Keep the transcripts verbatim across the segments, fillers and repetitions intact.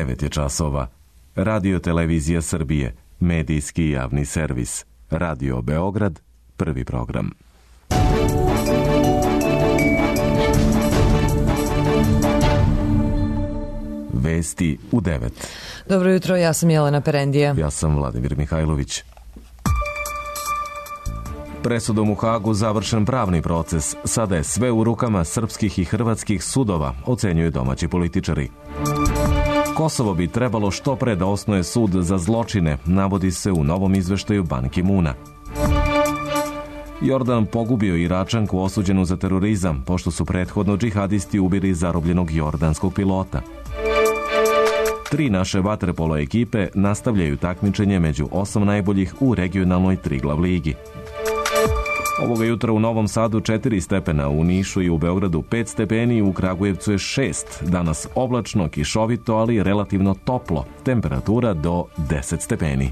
devet je časova. Radio Televizija Srbije, medijski javni servis. Radio Beograd, prvi program. Vesti u devet. Dobro jutro, ja sam Jelena Perendija. Ja sam Vladimir Mihajlović. Presudom u Hagu završen pravni proces. Sada je sve u rukama srpskih i hrvatskih sudova, ocenjuju domaći političari. Kosovo bi trebalo što pre da osnuje sud za zločine, navodi se u novom izveštaju Ban Ki-moona. Jordan pogubio Iračanku osuđenu za terorizam, pošto su prethodno džihadisti ubili zarobljenog jordanskog pilota. Tri naše vaterpolo ekipe nastavljaju takmičenje među osam najboljih u regionalnoj Triglav ligi. Ovoga jutra u Novom Sadu četiri stepena, u Nišu i u Beogradu pet stepeni, u Kragujevcu je šest. Danas oblačno, kišovito, ali relativno toplo. Temperatura do deset stepeni.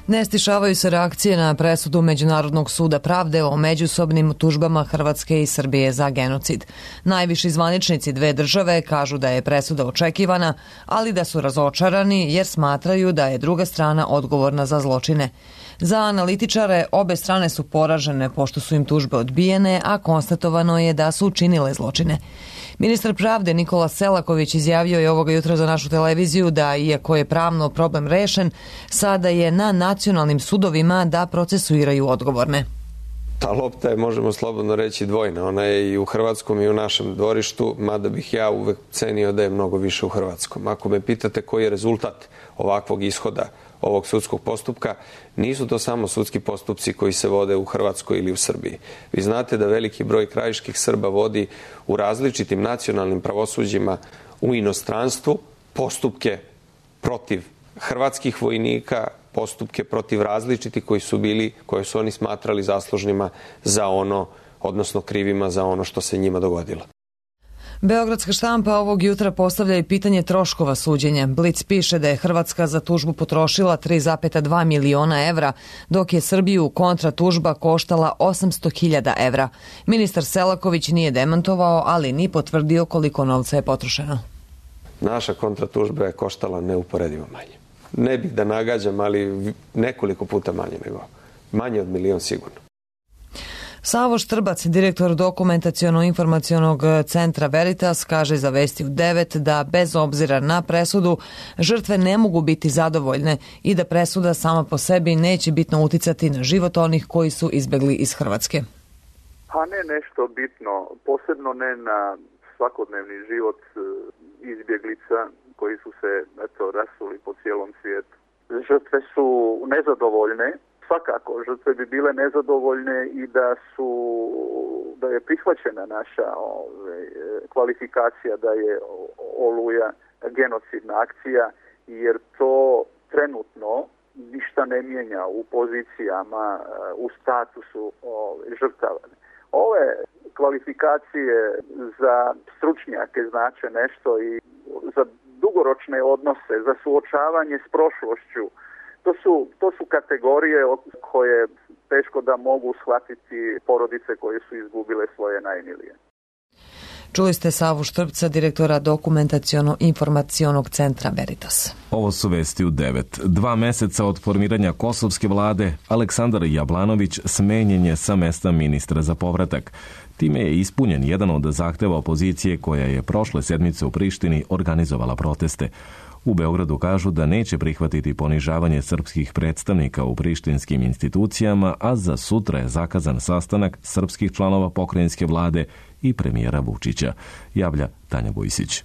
Ne stišavaju se reakcije na presudu Međunarodnog suda pravde o međusobnim tužbama Hrvatske i Srbije za genocid. Najviši zvaničnici dve države kažu da je presuda očekivana, ali da su razočarani jer smatraju da je druga strana odgovorna za zločine. Za analitičare obe strane su poražene pošto su im tužbe odbijene, a konstatovano je da su učinile zločine. Ministar pravde Nikola Selaković izjavio je ovoga jutra za našu televiziju da, iako je pravno problem rešen, sada je na nacionalnim sudovima da procesuiraju odgovorne. Ta lopta je, možemo slobodno reći, dvojna. Ona je i u hrvatskom i u našem dvorištu, mada bih ja uvek cenio da je mnogo više u hrvatskom. Ako me pitate koji je rezultat ovakvog ishoda ovog sudskog postupka, nisu to samo sudski postupci koji se vode u Hrvatskoj ili u Srbiji. Vi znate da veliki broj krajiških Srba vodi u različitim nacionalnim pravosuđima u inostranstvu postupke protiv hrvatskih vojnika, postupke protiv različitih koji su bili, koje su oni smatrali zaslužnima za ono, odnosno krivima za ono što se njima dogodilo. Beogradska štampa ovog jutra postavlja i pitanje troškova suđenja. Blic piše da je Hrvatska za tužbu potrošila tri zarez dva miliona evra, dok je Srbiju kontra tužba koštala osamsto hiljada evra. Ministar Selaković nije demantovao, ali ni potvrdio koliko novca je potrošeno. Naša kontratužba je koštala neuporedivo manje. Ne bih da nagađam, ali nekoliko puta manje nego. Manje od milion sigurno. Savo Štrbac, direktor dokumentaciono-informacionog centra Veritas, kaže za Vesti u devet da bez obzira na presudu žrtve ne mogu biti zadovoljne i da presuda sama po sebi neće bitno uticati na život onih koji su izbegli iz Hrvatske. Pa ne nešto bitno, posebno ne na svakodnevni život izbjeglica koji su se eto, rasuli po cijelom svijetu. Žrtve su nezadovoljne. Svakako, žrtve bi bile nezadovoljne i da su, da je prihvaćena naša ove, kvalifikacija da je Oluja genocidna akcija, jer to trenutno ništa ne mijenja u pozicijama, u statusu ove, žrtava. Ove kvalifikacije za stručnjake znače nešto i za dugoročne odnose, za suočavanje s prošlošću. To su, to su kategorije koje teško da mogu shvatiti porodice koje su izgubile svoje najmilije. Čuli ste Savu Štrpca, direktora dokumentaciono-informacionog centra Veritas. Ovo su Vesti u devet. Dva meseca od formiranja kosovske vlade, Aleksandar Jablanović smenjen je sa mesta ministra za povratak. Time je ispunjen jedan od zahteva opozicije koja je prošle sedmice u Prištini organizovala proteste. U Beogradu kažu da neće prihvatiti ponižavanje srpskih predstavnika u prištinskim institucijama, a za sutra je zakazan sastanak srpskih članova pokrajinske vlade i premijera Vučića, javlja Tanja Bujsić.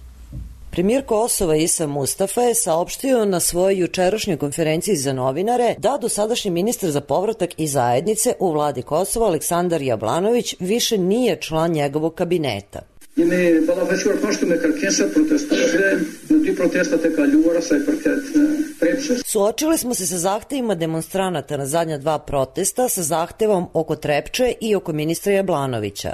Premijer Kosova Isa Mustafa je saopštio na svojoj jučerašnjoj konferenciji za novinare da dosadašnji ministar za povratak i zajednice u vladi Kosova Aleksandar Jablanović više nije član njegovog kabineta. Suočili smo se sa zahtevima demonstranata na zadnja dva protesta sa zahtevom oko Trepče i oko ministra Jablanovića.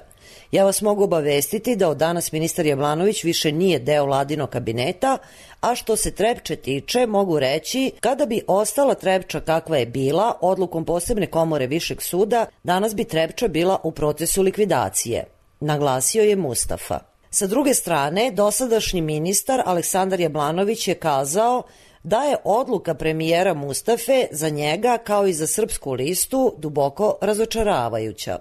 Ja vas mogu obavestiti da od danas ministar Jablanović više nije deo vladinog kabineta, a što se Trepče tiče, mogu reći, kada bi ostala Trepča kakva je bila, odlukom posebne komore Višeg suda, danas bi Trepča bila u procesu likvidacije, naglasio je Mustafa. Sa druge strane, dosadašnji ministar Aleksandar Jablanović je kazao da je odluka premijera Mustafe za njega, kao i za Srpsku listu, duboko razočaravajuća.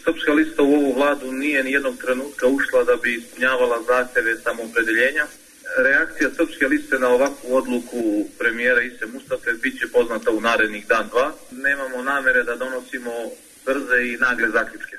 Srpska lista u ovu vladu nije ni jednog trenutka ušla da bi ispunjavala zahteve samoopredeljenja. Reakcija Srpske liste na ovakvu odluku premijera Ise Mustafe bit će poznata u narednih dan dva. Nemamo namere da donosimo brze i nagle zaključke.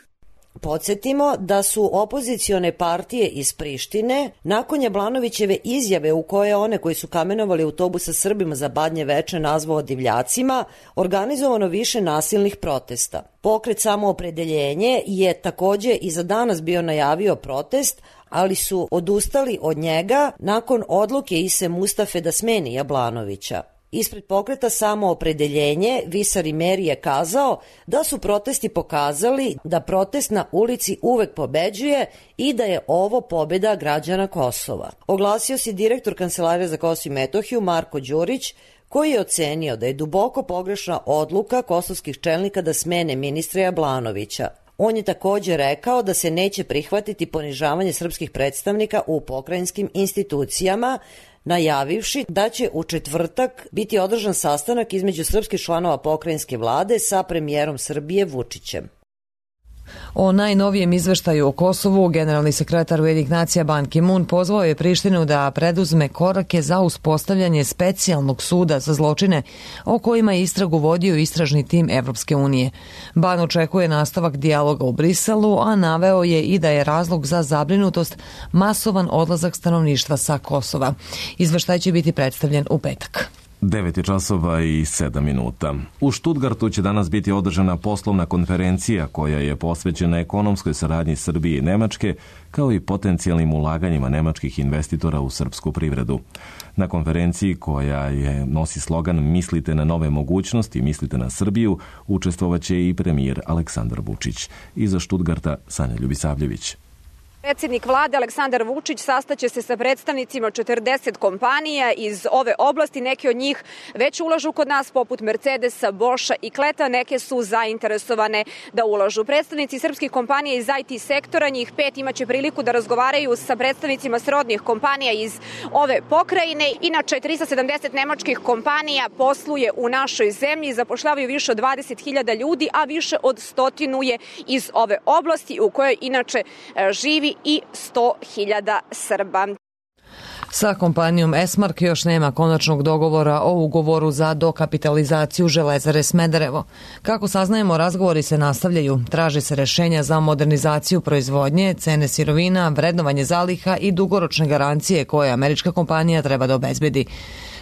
Podsjetimo da su opozicione partije iz Prištine nakon Jablanovićeve izjave u koje one koji su kamenovali autobus sa Srbima za Badnje veče nazvao divljacima, organizovano više nasilnih protesta. Pokret Samoopredeljenje je takođe i za danas bio najavio protest, ali su odustali od njega nakon odluke Ise Mustafe da smeni Jablanovića. Ispred pokreta Samoopredeljenje Visar Imeri je kazao da su protesti pokazali da protest na ulici uvek pobeđuje i da je ovo pobeda građana Kosova. Oglasio se direktor Kancelarije za Kosovo i Metohiju Marko Đurić, koji je ocenio da je duboko pogrešna odluka kosovskih čelnika da smene ministra Jablanovića. On je takođe rekao da se neće prihvatiti ponižavanje srpskih predstavnika u pokrajinskim institucijama, najavivši da će u četvrtak biti održan sastanak između srpskih članova pokrajinske vlade sa premijerom Srbije Vučićem. O najnovijem izveštaju o Kosovu generalni sekretar Ujedinjenih nacija Ban Ki-moon pozvao je Prištinu da preduzme korake za uspostavljanje specijalnog suda za zločine o kojima je istragu vodio istražni tim Evropske unije. Ban očekuje nastavak dijaloga u Briselu, a naveo je i da je razlog za zabrinutost masovan odlazak stanovništva sa Kosova. Izveštaj će biti predstavljen u petak. devet časova i sedam minuta. U Štutgartu će danas biti održana poslovna konferencija koja je posvećena ekonomskoj saradnji Srbije i Nemačke, kao i potencijalnim ulaganjima nemačkih investitora u srpsku privredu. Na konferenciji, koja je nosi slogan Mislite na nove mogućnosti, mislite na Srbiju, učestvovaće i premijer Aleksandar Vučić. Iza Štutgarta Sanja Ljubisavljević. Predsjednik vlade Aleksandar Vučić sastaće se sa predstavnicima četrdeset kompanija iz ove oblasti. Neke od njih već ulažu kod nas, poput Mercedesa, Boscha i Kleta. Neke su zainteresovane da ulažu. Predstavnici srpskih kompanija iz I T sektora, njih pet, imaće priliku da razgovaraju sa predstavnicima srodnih kompanija iz ove pokrajine. Inače, tristo sedamdeset nemačkih kompanija posluje u našoj zemlji, zapošljavaju više od dvadeset hiljada ljudi, a više od stotinu je iz ove oblasti u kojoj inače živi i sto hiljada Srba. Sa kompanijom Esmark još nema konačnog dogovora o ugovoru za dokapitalizaciju Železare Smederevo. Kako saznajemo, razgovori se nastavljaju. Traži se rešenja za modernizaciju proizvodnje, cene sirovina, vrednovanje zaliha i dugoročne garancije koje američka kompanija treba da obezbedi.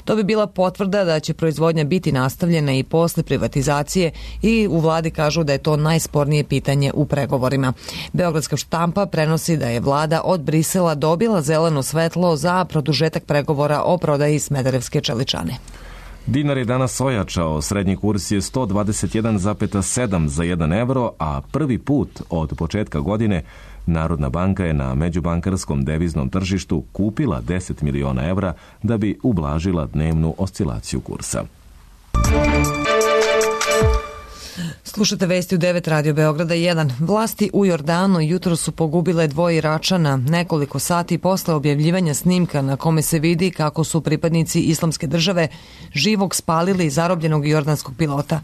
To bi bila potvrda da će proizvodnja biti nastavljena i posle privatizacije i u vladi kažu da je to najspornije pitanje u pregovorima. Beogradska štampa prenosi da je vlada od Brisela dobila zeleno svetlo za produžetak pregovora o prodaji Smederevske čeličane. Dinar je danas ojačao, srednji kurs je sto dvadeset jedan zarez sedam za jedan evro, a prvi put od početka godine Narodna banka je na međubankarskom deviznom tržištu kupila deset miliona evra da bi ublažila dnevnu oscilaciju kursa. Slušate vesti u devet Radio Beograda jedan. Vlasti u Jordanu jutro su pogubile dvoje Iračana nekoliko sati posle objavljivanja snimka na kome se vidi kako su pripadnici Islamske države živog spalili zarobljenog jordanskog pilota.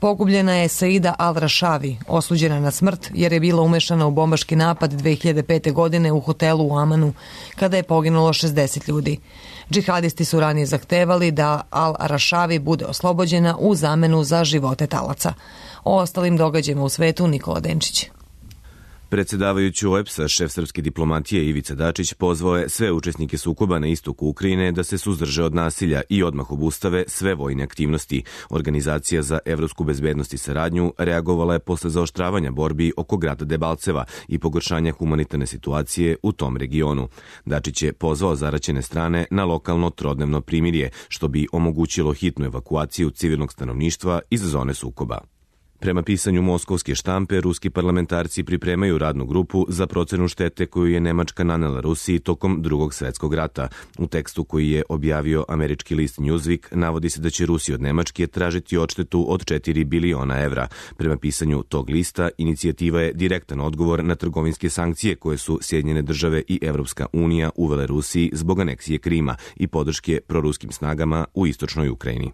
Pogubljena je Saida Al-Rašavi, osuđena na smrt jer je bila umešana u bombaški napad dve hiljade pete. godine u hotelu u Amanu, kada je poginulo šezdeset ljudi. Džihadisti su ranije zahtevali da Al-Rašavi bude oslobođena u zamenu za živote talaca. O ostalim događajima u svetu Nikola Denčić. Predsedavajući O E B S-a, šef srpske diplomatije Ivica Dačić pozvao je sve učesnike sukoba na istoku Ukrajine da se suzdrže od nasilja i odmah obustave sve vojne aktivnosti. Organizacija za evropsku bezbednost i saradnju reagovala je posle zaoštravanja borbi oko grada Debalceva i pogoršanja humanitarne situacije u tom regionu. Dačić je pozvao zaraćene strane na lokalno trodnevno primirje, što bi omogućilo hitnu evakuaciju civilnog stanovništva iz zone sukoba. Prema pisanju moskovske štampe, ruski parlamentarci pripremaju radnu grupu za procenu štete koju je Nemačka nanela Rusiji tokom Drugog svetskog rata. U tekstu koji je objavio američki list Newsweek navodi se da će Rusi od Nemačke tražiti odštetu od četiri biliona evra. Prema pisanju tog lista, inicijativa je direktan odgovor na trgovinske sankcije koje su Sjedinjene države i Evropska unija uvele Rusiji zbog aneksije Krima i podrške proruskim snagama u istočnoj Ukrajini.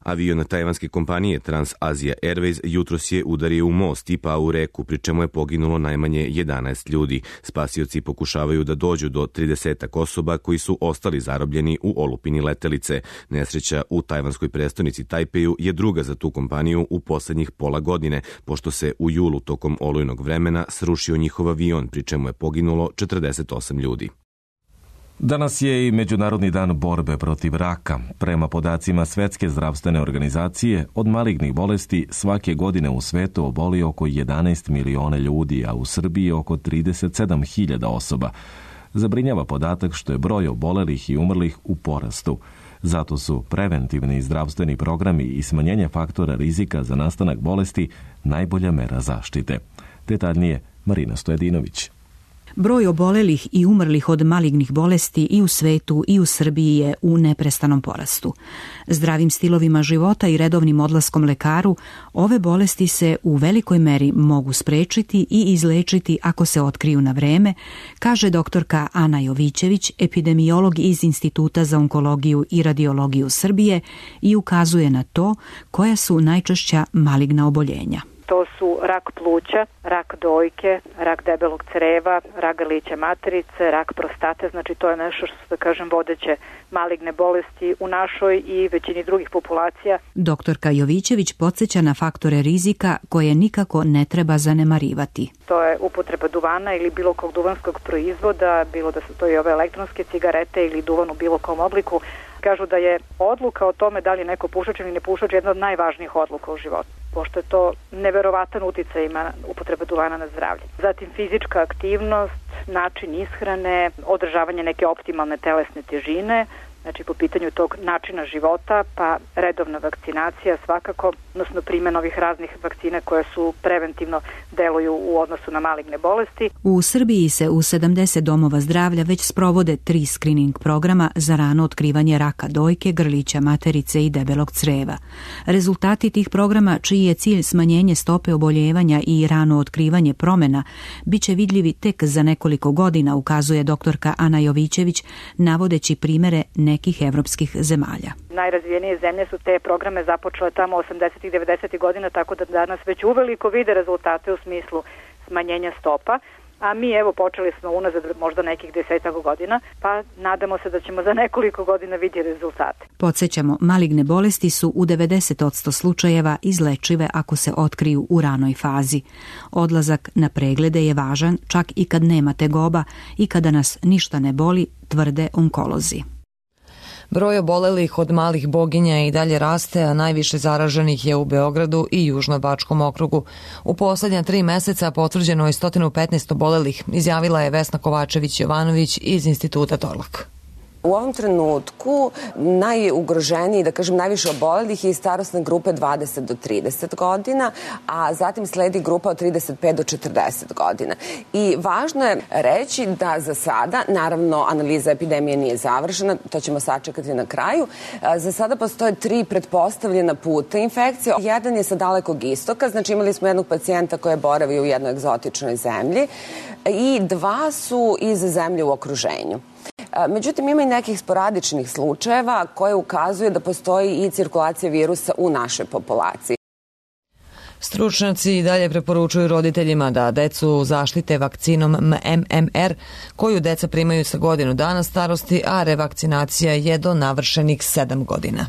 Avion tajvanske kompanije Trans-Asia Airways jutros je udario u most i pao u reku, pri čemu je poginulo najmanje jedanaest ljudi. Spasioci pokušavaju da dođu do tridesetak osoba koji su ostali zarobljeni u olupini letelice. Nesreća u tajvanskoj prestonici Tajpeju je druga za tu kompaniju u poslednjih pola godine, pošto se u julu tokom olujnog vremena srušio njihov avion, pri čemu je poginulo četrdeset osam ljudi. Danas je i Međunarodni dan borbe protiv raka. Prema podacima Svetske zdravstvene organizacije, od malignih bolesti svake godine u svetu oboli oko jedanaest miliona ljudi, a u Srbiji oko trideset sedam hiljada osoba. Zabrinjava podatak što je broj obolelih i umrlih u porastu. Zato su preventivni zdravstveni programi i smanjenje faktora rizika za nastanak bolesti najbolja mera zaštite. Detaljnije Marina Stojedinović. Broj obolelih i umrlih od malignih bolesti i u svetu i u Srbiji je u neprestanom porastu. Zdravim stilovima života i redovnim odlaskom lekaru, ove bolesti se u velikoj meri mogu sprečiti i izlečiti ako se otkriju na vreme, kaže doktorka Ana Jovićević, epidemiolog iz Instituta za onkologiju i radiologiju Srbije, i ukazuje na to koja su najčešća maligna oboljenja. To su rak pluća, rak dojke, rak debelog creva, rak grlića materice, rak prostate, znači to je nešto što su, da kažem, vodeće maligne bolesti u našoj i većini drugih populacija. Doktorka Jovićević podsjeća na faktore rizika koje nikako ne treba zanemarivati. To je upotreba duvana ili bilo kog duvanskog proizvoda, bilo da su to i ove elektronske cigarete ili duvan u bilo kom obliku. Kažu da je odluka o tome da li je neko pušač ili ne pušač jedna od najvažnijih odluka u životu, pošto je to neverovatan uticaj ima upotreba duvana na zdravlje. Zatim fizička aktivnost, način ishrane, održavanje neke optimalne telesne težine, znači po pitanju tog načina života, pa redovna vakcinacija svakako, odnosno primjena ovih raznih vakcina koje su preventivno deluju u odnosu na maligne bolesti. U Srbiji se u sedamdeset domova zdravlja već sprovode tri screening programa za rano otkrivanje raka dojke, grlića materice i debelog creva. Rezultati tih programa, čiji je cilj smanjenje stope oboljevanja i rano otkrivanje promena, bit će vidljivi tek za nekoliko godina, ukazuje doktorka Ana Jovićević, navodeći primere nekih evropskih zemalja. Najrazvijenije zemlje su te programe započele tamo osamdesetih devedesetih godina, tako da danas već uveliko vide rezultate u smislu smanjenja stopa, a mi evo počeli smo unazad možda nekih desetak godina, pa nadamo se da ćemo za nekoliko godina vidjeti rezultate. Podsjećamo, maligne bolesti su u devedeset posto slučajeva izlečive ako se otkriju u ranoj fazi. Odlazak na preglede je važan čak i kad nema tegoba i kada nas ništa ne boli, tvrde onkolozi. Broj obolelih od malih boginja i dalje raste, a najviše zaraženih je u Beogradu i Južnobačkom okrugu. U poslednja tri meseca potvrđeno je sto petnaest obolelih, izjavila je Vesna Kovačević-Jovanović iz Instituta Torlak. U ovom trenutku najugroženiji, da kažem najviše obolelih je starosne grupe dvadeset do trideset godina, a zatim sledi grupa od trideset pet do četrdeset godina. I važno je reći da za sada, naravno analiza epidemije nije završena, to ćemo sačekati na kraju, za sada postoje tri pretpostavljena puta infekcije. Jedan je sa dalekog istoka, znači imali smo jednog pacijenta koji je boravio u jednoj egzotičnoj zemlji i dva su iz zemlje u okruženju. Međutim, ima i nekih sporadičnih slučajeva koje ukazuju da postoji i cirkulacija virusa u našoj populaciji. Stručnjaci i dalje preporučuju roditeljima da decu zaštite vakcinom M M R koju deca primaju sa godinu dana starosti, a revakcinacija je do navršenih sedam godina.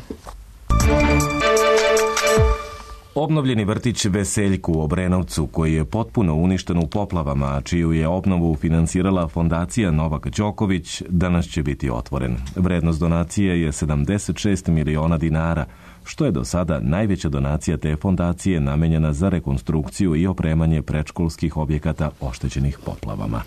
Obnovljeni vrtić Veseljku u Obrenovcu, koji je potpuno uništen u poplavama, a čiju je obnovu finansirala fondacija Novak Đoković, danas će biti otvoren. Vrednost donacije je sedamdeset šest miliona dinara, što je do sada najveća donacija te fondacije namenjena za rekonstrukciju i opremanje predškolskih objekata oštećenih poplavama.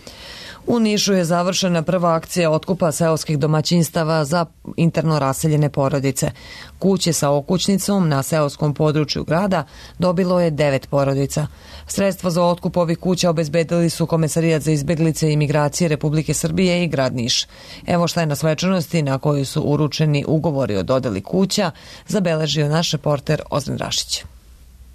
U Nišu je završena prva akcija otkupa seoskih domaćinstava za interno raseljene porodice. Kuće sa okućnicom na seoskom području grada dobilo je devet porodica. Sredstva za otkup ovih kuća obezbedili su Komesarijat za izbeglice i imigracije Republike Srbije i grad Niš. Evo šta je na svečanosti na kojoj su uručeni ugovori o dodeli kuća zabeležio naš reporter Ozren Rašić.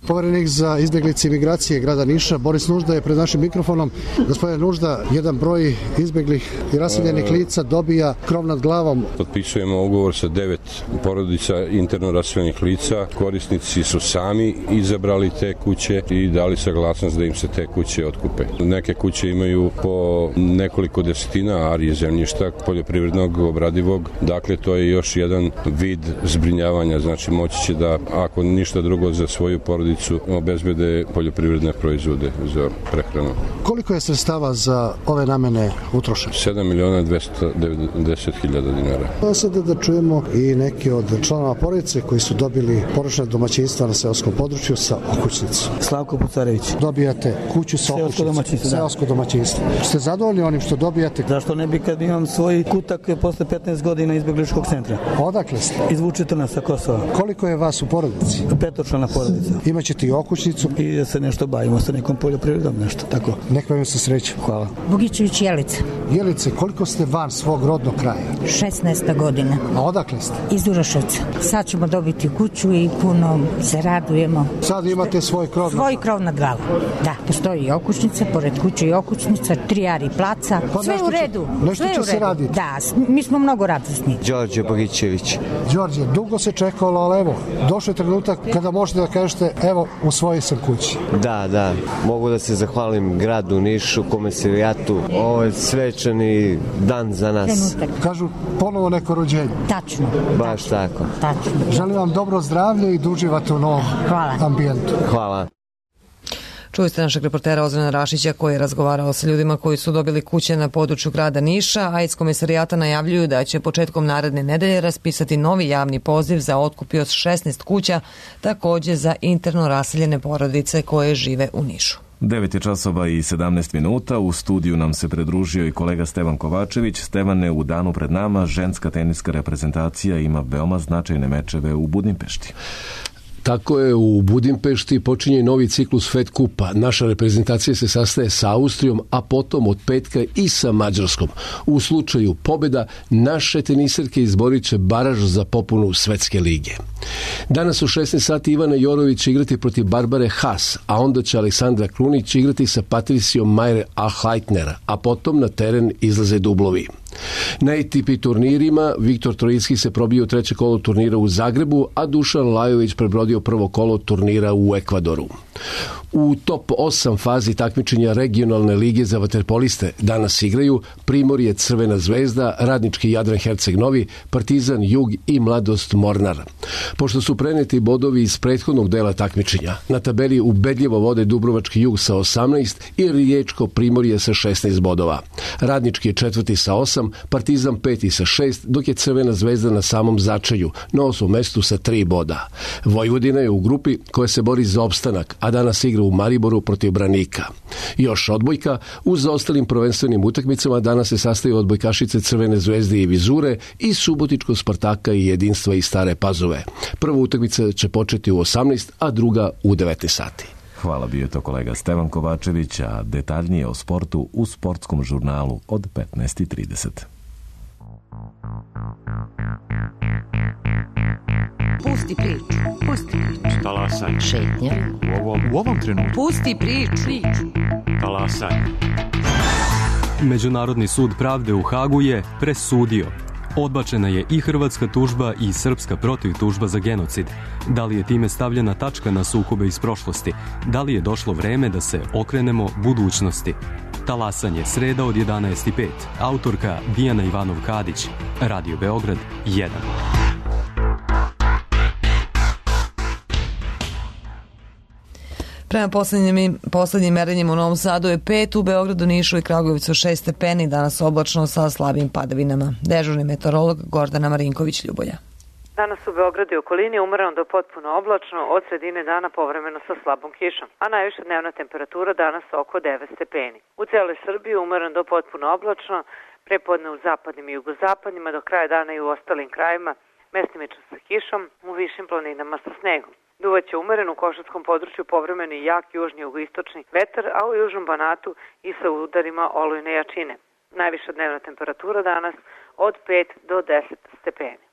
Poverenik za izbeglice i migracije grada Niša, Boris Nužda, je pred našim mikrofonom. Gospodine Nužda, jedan broj izbeglih i raseljenih lica dobija krov nad glavom. Potpisujemo ugovor sa devet porodica interno raseljenih lica. Korisnici su sami izabrali te kuće i dali saglasnost da im se te kuće otkupe. Neke kuće imaju po nekoliko desetina arije zemljišta poljoprivrednog, obradivog. Dakle, to je još jedan vid zbrinjavanja. Znači, moći će da, ako ništa drugo, za svoju porodicu obezbede poljoprivredne proizvode za prehranu. Koliko je sredstava za ove namene utrošeno? sedam miliona dvesta devedeset hiljada dinara. Pa sada da čujemo i neki od članova porodice koji su dobili porodična domaćinstva na seoskom području sa okućnicom. Slavko Pucarević. Dobijate kuću sa okućnicom. Seosko domaćinstvo. Ste zadovoljni onim što dobijate? Zašto ne bi kad imam svoj kutak posle petnaest godina izbegličkog centra? Odakle ste? Iz Vučitrna sa Kosova. Koliko je vas u porodici? Petočlana porodica. Imaćete i okućnicu i da se nešto bavimo sa nekom poljoprivredom, nešto tako. Nek vam se sreće. Hvala. Bogićević Jelica. Jelice, koliko ste van svog rodnog kraja? šesnaesta godina. A odakle ste? Iz Uroševca. Sad ćemo dobiti kuću i puno se radujemo. Sad imate svoj krov? Svoj krov nad glavom. Da, postoji i okućnica, pored kuće i okućnica, tri ari placa. Pa sve u redu. Će, nešto sve će u redu. Se raditi. Da, mi smo mnogo radosni. Đorđe Bogićević. Đorđe, dugo se čekalo, ali evo, došao je trenutak kada možete da kažete, evo, u svojoj sam kući. Da, da. Mogu da se zahvalim gradu Nišu, Komesarijatu. Ovo je svečani dan za nas. Trenutak. Kažu ponovo neko rođenje. Tačno. Baš tako. Tačno. Želim vam dobro zdravlje i da uživate u novom Hvala. ambijentu. Hvala. Čuli ste našeg reportera Ozrena Rašića koji je razgovarao sa ljudima koji su dobili kuće na području grada Niša, a iz Komesarijata najavljuju da će početkom naredne nedelje raspisati novi javni poziv za otkup od šesnaest kuća, takođe za interno raseljene porodice koje žive u Nišu. devet je časova i sedamnaest minuta. U studiju nam se pridružio i kolega Stevan Kovačević. Stevane, u danu pred nama ženska teniska reprezentacija ima veoma značajne mečeve u Budimpešti. Tako je, u Budimpešti počinje novi ciklus Fed kupa. Naša reprezentacija se sastaje sa Austrijom, a potom od petka i sa Mađarskom. U slučaju pobjeda, naše teniserke izborit će baraž za popunu Svetske lige. Danas u šesnaest sati Ivana Jorović će igrati protiv Barbare Haas, a onda će Aleksandra Krunić igrati sa Patricijom Majer Ahleitner, a potom na teren izlaze dublovi. Na A T P turnirima Viktor Trojicki se probio u treće kolo turnira u Zagrebu, a Dušan Lajović prebrodio prvo kolo turnira u Ekvadoru. U top osam fazi takmičenja regionalne lige za vaterpoliste danas igraju Primorje Crvena zvezda, Radnički Jadran Herceg Novi, Partizan Jug i Mladost Mornar. Pošto su preneti bodovi iz prethodnog dela takmičenja, na tabeli ubedljivo vode Dubrovački Jug sa osamnaest i Riječko Primorje sa šesnaest bodova. Radnički je četvrti sa osam, Partizan peti sa šest, dok je Crvena zvezda na samom začelju, na osmom mestu sa tri boda. Vojvodina je u grupi koja se bori za opstanak, a danas igra u Mariboru protiv Branika. Još odbojka, uz ostalim prvenstvenim utakmicama danas se sastaju odbojkašice Crvene zvezde i Vizure i Subotičko Spartaka i Jedinstva iz Stare Pazove. Prva utakmica će početi u osamnaest, a druga u devetnaest sati. Hvala, bio je to kolega Stevan Kovačević, a detaljnije o sportu u sportskom žurnalu od petnaest i trideset. Pusti priču, pusti priču. Talasaj. Šetnja. U ovom, u ovom trenutku. Pusti priču. Talasaj. Međunarodni sud pravde u Hagu je presudio. Odbačena je i hrvatska tužba i srpska protivtužba za genocid. Da li je time stavljena tačka na sukobe iz prošlosti? Da li je došlo vreme da se okrenemo budućnosti? Talasanje, sreda od jedanaest i pet. Autorka Dijana Ivanov-Kadić. Radio Beograd jedan. Prema poslednjim, poslednjim merenjima u Novom Sadu je pet, u Beogradu, Nišu i Kragujevcu šest stepeni, danas oblačno sa slabim padavinama. Dežurni meteorolog Gordana Marinković-Ljubolja. Danas u Beogradu i okolini umereno do potpuno oblačno, od sredine dana povremeno sa slabom kišom, a najviša dnevna temperatura danas oko devet stepeni. U celoj Srbiji umereno do potpuno oblačno, prepodne u zapadnim i jugozapadnima, do kraja dana i u ostalim krajima, mestimično sa kišom, u višim planinama sa snegom. Duvaće umeren u Košarskom području povremeni jak južni jugoistočni vetar, a u južnom Banatu i sa udarima olujne jačine. Najviša dnevna temperatura danas od pet do deset stepeni.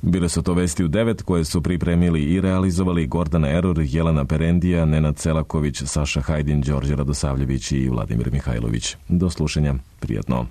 Bile su to vesti u devet koje su pripremili i realizovali Gordana Eror, Jelena Perendija, Nenad Celaković, Saša Hajdin, Đorđe Radosavljević i Vladimir Mihajlović. Do slušanja. Prijatno.